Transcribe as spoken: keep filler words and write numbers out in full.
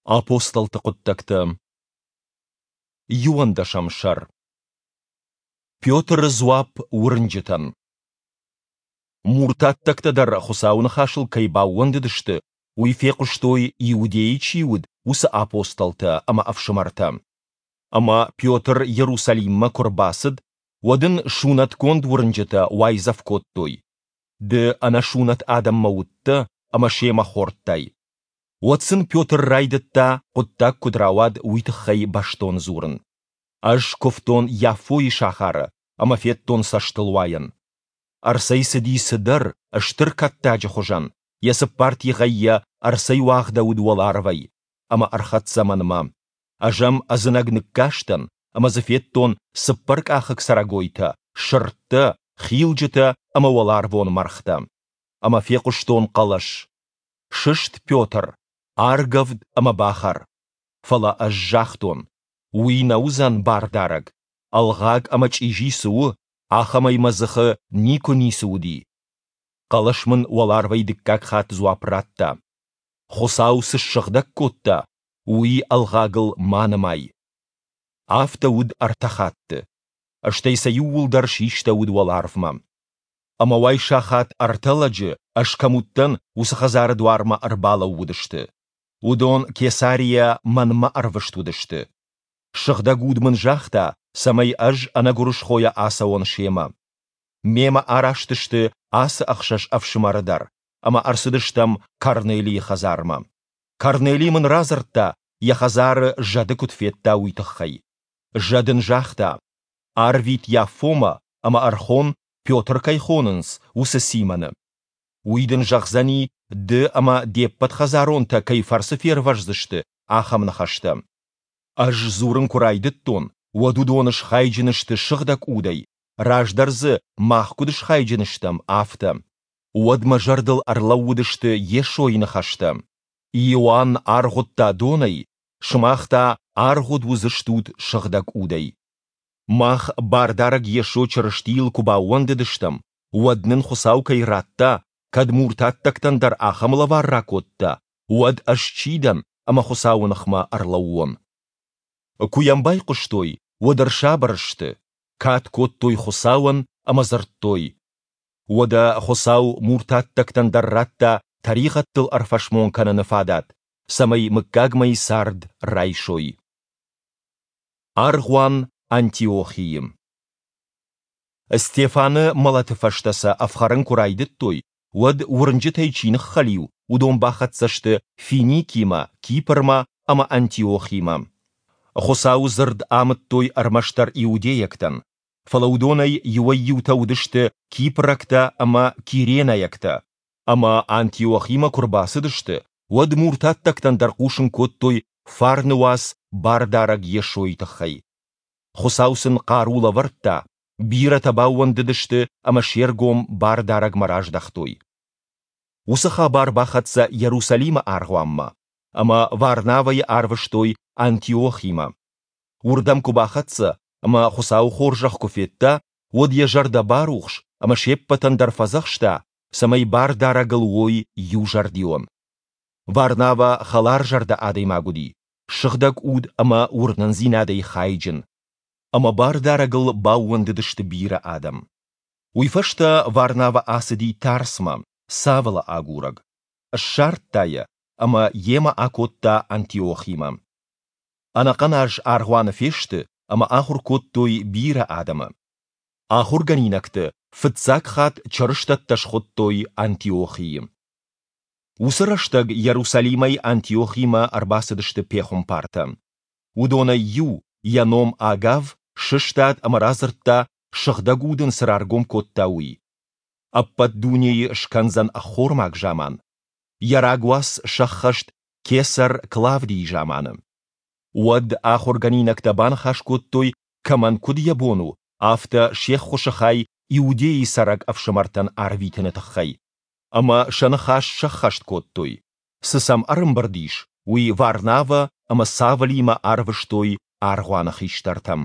Апостолты хъуыддӕгтӕ, иуӕндӕсӕм сӕр. Петры дзуапп уырнджытӕн. Муртаттӕгтӕ дӕр Хуыцауы ныхасыл кӕй баууӕндыдысты, уый фехъуыстой, Иудейы чи уыд, уыцы апостолтӕ ӕмӕ ӕфсымӕртӕ. Ӕмӕ Петр Иерусалиммӕ куы рбацыд, уӕд ын сунӕтгонд уырнджытӕ уайдзӕф кодтой: Ды ӕнӕсунӕт адӕммӕ уыдтӕ ӕмӕ семӕ хордтай. Уӕд сын Петр райдыдта, хъуыддаг куыд рауад, уый тыххӕй бӕстон дзурын. Ӕз куывтон Яффойы сахары ӕмӕ федтон цӕстылуайӕн. Ӕрцӕйцыди цыдӕр, стыр кӕттаджы хуызӕн, йӕ цыппар тигъӕй йӕ ӕрцӕйуагъдӕуыд уӕларвӕй, ӕмӕ ӕрхӕццӕ мӕнмӕ. Ӕз ӕм ӕдзынӕг ныккастӕн ӕмӕ дзы федтон цыппӕркъахыг цӕрӕгойтӕ, сырдтӕ, хилджытӕ ӕмӕ уӕларвон мӕргътӕ. Ӕмӕ фехъуыстон хъӕлӕс: Сыст, Петр, аргӕвд ӕмӕ бахӕр. Фӕлӕ ӕз загътон: Уый нӕ уыдзӕн Бардарӕг, ӕлгъаг ӕмӕ чъизи цы у, ахӕмӕй мӕ дзыхы никуы ницы уыди. Хъӕлӕс мын уӕларвӕй дыккаг хатт дзуапп радта: Хуыцау цы ссыгъдӕг кодта, уый ӕлгъагыл ма нымай. Афтӕ уыд ӕртӕ хатты. Стӕй сӕ иууылдӕр систӕуыд уӕларвмӕ. Ӕмӕ уайсахат ӕртӕ лӕджы, ӕз кӕм уыдтӕн, уыцы хӕдзары дуармӕ ӕрбалӕууыдысты. Уыдон Кесарийӕ мӕнмӕ ӕрвыст уыдысты. Сыгъдӕг Уд мын загъта, цӕмӕй ӕз ӕнӕгуырысхойӕ ацӕуон семӕ. Мемӕ араст сты ацы ӕхсӕз ӕфсымӕры дӕр, ӕмӕ ӕрцыдыстӕм Корнелийы хӕдзармӕ. Корнелий мын радзырдта, йӕ хӕдзары зӕды куыд федта, уый тыххӕй. Зӕд ын загъта: Арвит Яффомӕ ӕмӕ ӕрхон, Петр кӕй хонынц, уыцы Симоны. Уый дын зӕгъдзӕни, ды ӕмӕ де ппӕт хӕдзаронтӕ кӕй фӕрцы фервӕздзысты, ахӕм ныхӕстӕ. Ӕз дзурын куы райдыдтон, уӕд уыдон схайджын сты Сыгъдӕг Удӕй, раздӕр дзы мах куыд схайджын стӕм, афтӕ. Уӕд мӕ зӕрдыл ӕрлӕууыдысты Йесойы ныхӕстӕ: Иоанн аргъуыдта донӕй, сымах та аргъуыд уыдзыстут Сыгъдӕг Удӕй. Мах Бардарӕг Йесо Чырыстийыл куы баууӕндыдыстӕм, уӕд нын Хуыцау кӕй радта, кӕд муртаттӕгтӕн дӕр ахӕм лӕвар ракодта, уӕд ӕз чи дӕн, ӕмӕ Хуыцауы ныхмӕ ӕрлӕууон? Куы йӕм байхъуыстой, уӕд ӕрсабыр сты, кад кодтой Хуыцауӕн ӕмӕ дзырдтой: Уӕдӕ Хуыцау муртаттӕгтӕн дӕр радта тӕригъӕдтыл ӕрфӕсмон кӕныны фадат, цӕмӕй мыггагмӕйы цард райсой. Аргъуан Антиохийы. Стефаны мӕлӕты фӕстӕ сӕ ӕфхӕрын куы райдыдтой, уӕд уырнджытӕй чи ныххӕлиу, уыдон бахӕццӕ сты Финикимӕ, Кипрмӕ ӕмӕ Антиохимӕ. Хуыцауы дзырд амыдтой ӕрмӕстдӕр иудейӕгтӕн, фӕлӕ уыдонӕй иуӕй-иутӕ уыдысты кипрӕгтӕ ӕмӕ киренӕйӕгтӕ, ӕмӕ Антиохимӕ куы рбацыдысты, уӕд муртаттӕгтӕн дӕр хъусын кодтой фарны уац Бардарӕг Йесойы тыххӕй. Хуыцау сын хъару лӕвӕрдта, бирӕтӕ баууӕндыдысты ӕмӕ се ргом Бардарӕгмӕ раздӕхтой. Уыцы хабар бахӕццӕ Иерусалимы аргъуанмӕ, ӕмӕ Варнавӕйы арвыстой Антиохимӕ. Уырдӕм куы бахӕццӕ ӕмӕ Хуыцауы хорзӕх куы федта, уӕд йӕ зӕрдӕ барухс ӕмӕ се ппӕтӕн дӕр фӕдзӕхста, цӕмӕй Бардарӕгыл уой иузӕрдион. Варнавӕ хӕларзӕрдӕ адӕймаг уыди, сыгъдӕг уд ӕмӕ уырнындзинадӕй хайджын. Ӕмӕ Бардарӕгыл баууӕндыдысты бирӕ адӕм. Уый фӕстӕ Варнавӕ ацыди Тарсмӕ, Савлы агурӕг. Ссардта йӕ ӕмӕ йемӕ акодта Антиохимӕ. Ӕнӕхъӕн аз аргъуаны фесты ӕмӕ ахуыр кодтой бирӕ адӕмы. Ахуыргӕнинӕгты фыццаг хатт чырыстӕттӕ схуыдтой Антиохийы. Уыцы рӕстӕг Иерусалимӕй Антиохимӕ ӕрбацыдысты пехуымпартӕ. Уыдонӕй иу, йӕ ном Агав, сыстад ӕмӕ радзырдта, Сыгъдӕг Уд ын цы раргом кодта, уый. Ӕппӕт дунейы скӕндзӕн ӕххормаг заман. Йӕ рагуац сӕххӕст кесӕр Клавдийы заманы. Уӕд ахуыргӕнинӕгтӕ баныхас кодтой, кӕмӕн куыд йӕ бон у, афтӕ се ххуысы хай Иудейы цӕрӕг ӕфсымӕртӕн арвитыны тыххӕй. Ӕмӕ сӕ ныхас сӕххӕст кодтой. Цы сӕм ӕрӕмбырд ис, уый Варнавӕ ӕмӕ Савлимӕ арвыстой аргъуаны хистӕртӕм.